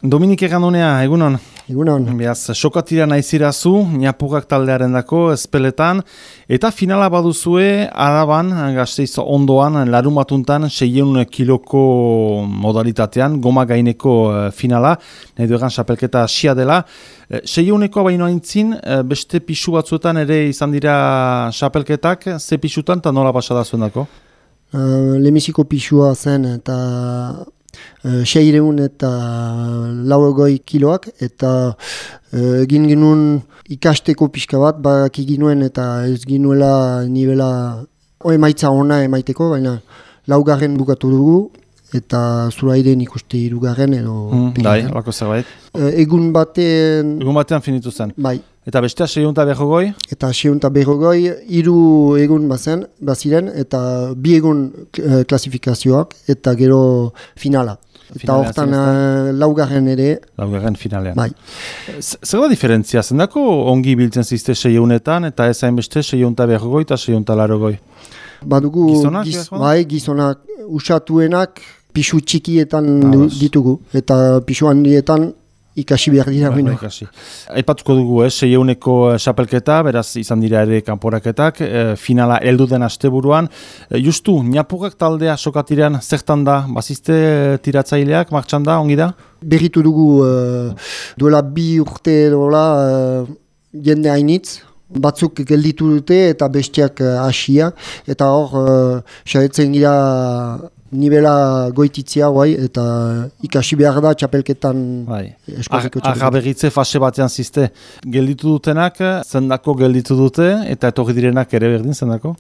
Dominik Egandunea, egunon. Egunon. Beaz, sokatira naizirazu, Ñapugak taldearen dako, ezpeletan, eta finala baduzue, Araban, Gasteiz ondoan, larun batuntan, 600 kiloko modalitatean, goma gaineko finala, nahi duegan xapelketa asia dela. 600koa baino aintzin, beste pixu batzuetan ere izan dira xapelketak, ze pixutan eta nola pasada zuen dako? Lemiziko pixua zen eta 600 eta 80 kiloak, eta egin ginuen ikasteko pixka bat, baki ginuen eta ez ginuela nivela emaitza ona emaiteko, baina 4. bukatu dugu, eta Zurairen ikuste 3. edo... Bai, lako zerbait. Egun batean finitu zen. Bai. Eta bestea 640? Eta 640, 3 egun baziren, eta 2 egun klasifikazioak, eta gero finala. Eta hortan 4. ere. 4. finalean. Bai. Zer da diferentzia? Zendako ongi biltzen zizte 600etan, eta ez hainbeste 640 eta 680? Badugu gizonak usatuenak pixu txikietan ditugu, eta pixu handietan ikasi behar dira. Aipatuko dugu, 600ko xapelketa, beraz izan dira ere kanporaketak, finala heldu den asteburuan. Justu, Ñapugak taldea sokatirean zertan da, bazizte tiratzaileak, martxan da, ongi da? Berritu dugu duela 2 urte dola jende hainitz, batzuk gelditu dute eta bestiak hasia, eta hor xaretzen gira nivela goititzia, eta ikasi behar da txapelketan eskoleko txapelketan. Agaberritze fase batean zizte, gelditu dutenak, zendako gelditu dute, eta etorri direnak ere berdin zendako?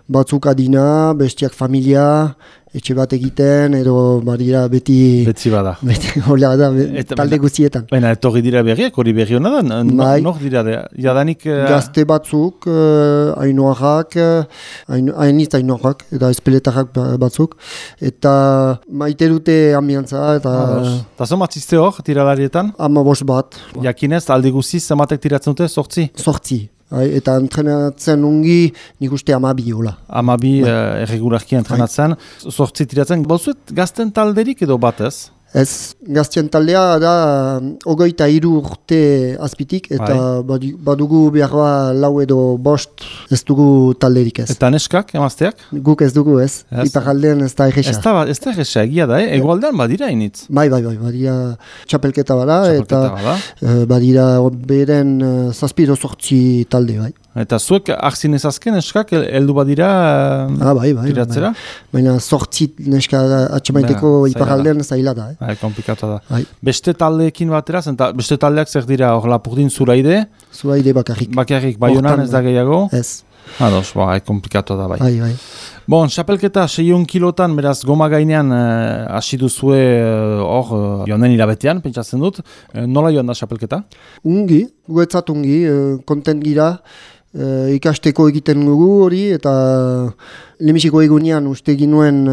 Batzuk adina, bestiak familia, etxe bat egiten, edo badira beti... Betzi bada. Beti hola da, talde guztietan. Baina etorri dira berriak, hori berri hona da? Nor dira, jadanik... Gazte batzuk, hainoarrak, eta espeletarrak batzuk, eta maite dute ambiantza, eta... Eta zomatzizte hor, tiralarietan? 15 bat. Jakinez, aldi guziz, zematek tiratzen dute, 8? 8. Eta entrenatzen ungi nik uste 12 hola. 12 erregularki entrenatzen. 8 tiratzen. Bauzuet gazten talderik edo batez? Ez, gazten taldea da 23 urte azpitik, eta badugu behar 4 edo 5 ez dugu talderik ez. Eta neskak, emazteak? Guk ez dugu ez. Iparaldean ez da egesa. Ez da egesa, egia da, egualdean badira initz? Bai, badira txapelketa bada, eta badira beren 7-8 talde, bai. Eta zuek arzin ezazken neskak heldu badira tiratzera? Baina 8 neska atxamaiteko iparaldean zaila da. Komplikatu da. Beste taldeekin batera, beste taldeak zer dira, hor Lapurdin Zuraide? Zuraide bakarrik. Bakarrik, Baionan ez da gehiago? Ez. Ados, komplikatu da bai. Bai. Bon, xapelketa 600 kilotan, beraz, goma gainean hasi duzue hor, joan den hilabetean, pentsatzen dut. Nola joan da xapelketa? Ungi, guetzat ungi, kontent gira, ikasteko egiten dugu hori, eta lemisiko egunean uste ginuen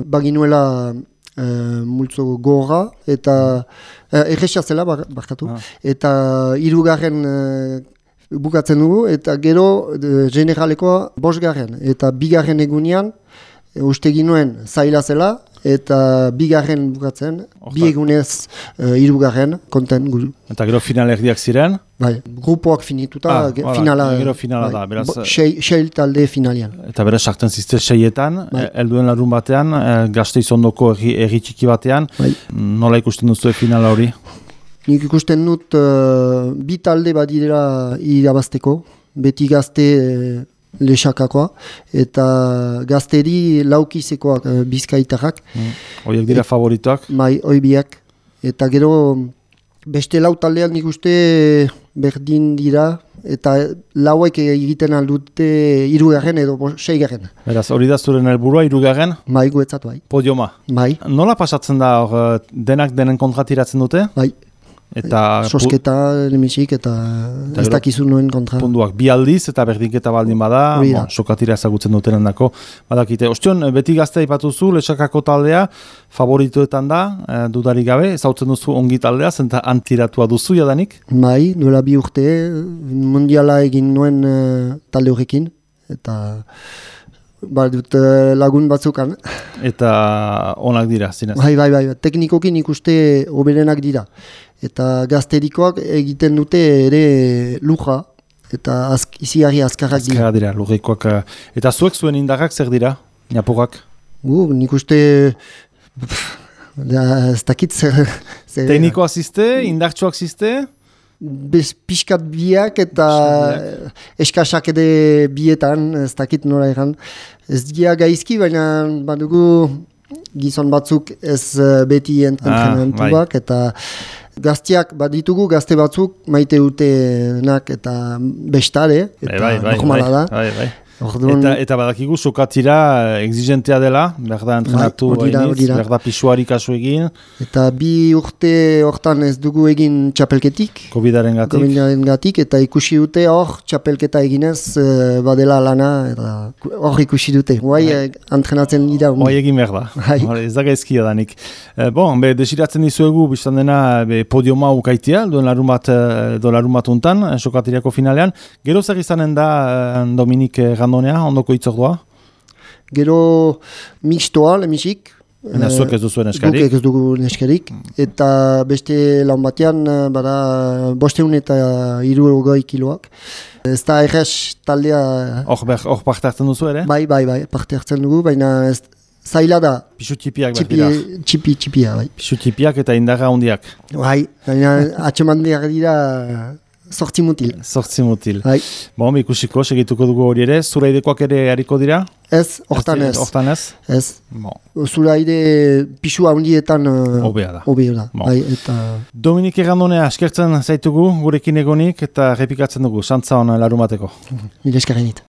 baginuela multzo gorra, eta egesa zela barkatu, eta 3. bukatzen dugu, eta gero generalekoa 5. eta 2. egunean uste ginuen zaila zela, eta 2. bukatzen, 2 egunez 3. konten gudu. Eta gero finalerdiak ziren? Bai, grupoak finituta, finala. Gero finala da, beraz... 6 talde finalian. Eta beraz, sartzen zizte 6etan, helduen larun batean, Gasteiz ondoko erri txiki batean, nola ikusten duzu finala hori? Nik ikusten dut 2 talde badira irabazteko, beti gazte lexakakoa, eta gazteri laukizekoak bizkaitarrak. Horiek dira favoritoak? Bai, biak. Eta gero beste 4 taldean nik uste berdin dira, eta 4ek egiten aldute 3. edo 6. Beraz, hori da zuren helburua 3? Bai, guetzat bai. Podioma? Bai. Nola pasatzen da denak denen kontra tiratzen dute? Bai. Eta sosketa, lemisik, eta ez dakizu noen kontra. Punduak 2 aldiz, eta berdinketa baldin bada, sokatira ezagutzen dutenen dako. Badakite, ostion, beti gaztea ipatuzu, lesakako taldea, favorituetan da, dudarik gabe, ezautzen duzu ongi taldea, zenta antiratua duzu jadanik? Bai, duela 2 urte, mundiala egin nuen talde horrekin, eta badut lagun batzukan. Eta onak dira, zinez. Bai, teknikokin ikuste oberenak dira. Eta gazterikoak egiten dute ere luja, eta iziari azkarrak dira. Azkarrak dira, lurreikoak. Eta zuek zuen indarrak zer dira, Ñapurrak? Nik uste... ez dakit zer... Teknikoak ziste, indartsuak ziste? Piskat biak eta eskasak ere bietan, ez dakit nora egan. Ez dira gaizki, baina badugu gizon batzuk ez beti entrenamentuak, eta gazteak baditugu, gazte batzuk maite dutenak eta bestare, eta normala da. Bai. Eta badakigu sokatira exigentea dela, berda entrenatu berda pisuari kasu egin. Eta 2 urte hortan ez dugu egin txapelketik. Covidaren gatik, eta ikusi dute hor txapelketa eginez badela lana, eta hor ikusi dute. Entrenatzen dira. Egin berda, ez da gaizkia danik. Desiratzen dizuegu, biztan dena podiuma ukaitia, duen larun untan, sokatiriako finalean. Gero zer izanen da Dominik Gandonea, ondoko itzordua? Gero mixtoa, lemisik. Zuek ez duzu neskarik? Guk ez dugu neskarik. Eta beste lan batean, 500 eta 60 kiloak. Ez da errez taldea... Hor parte hartzen duzu ere? Bai, parte hartzen dugu, baina zaila da. Pisu txipiak behar dira? Txipia, bai. Pisu txipiak eta indarra hondiak? Bai, baina atxemandeak dira... Sortzi mutil. Hai. Ikusiko, segituko dugu hori ere. Zuraidekoak ere hariko dira? Ez, hortan ez. Ez. Zuraide pisua hundietan obea da. Bai, eta... Dominik Gandonea, eskertzen zaitugu gurekin egonik eta repikatzen dugu. Santza hona larumateko. Mila eskerrenit.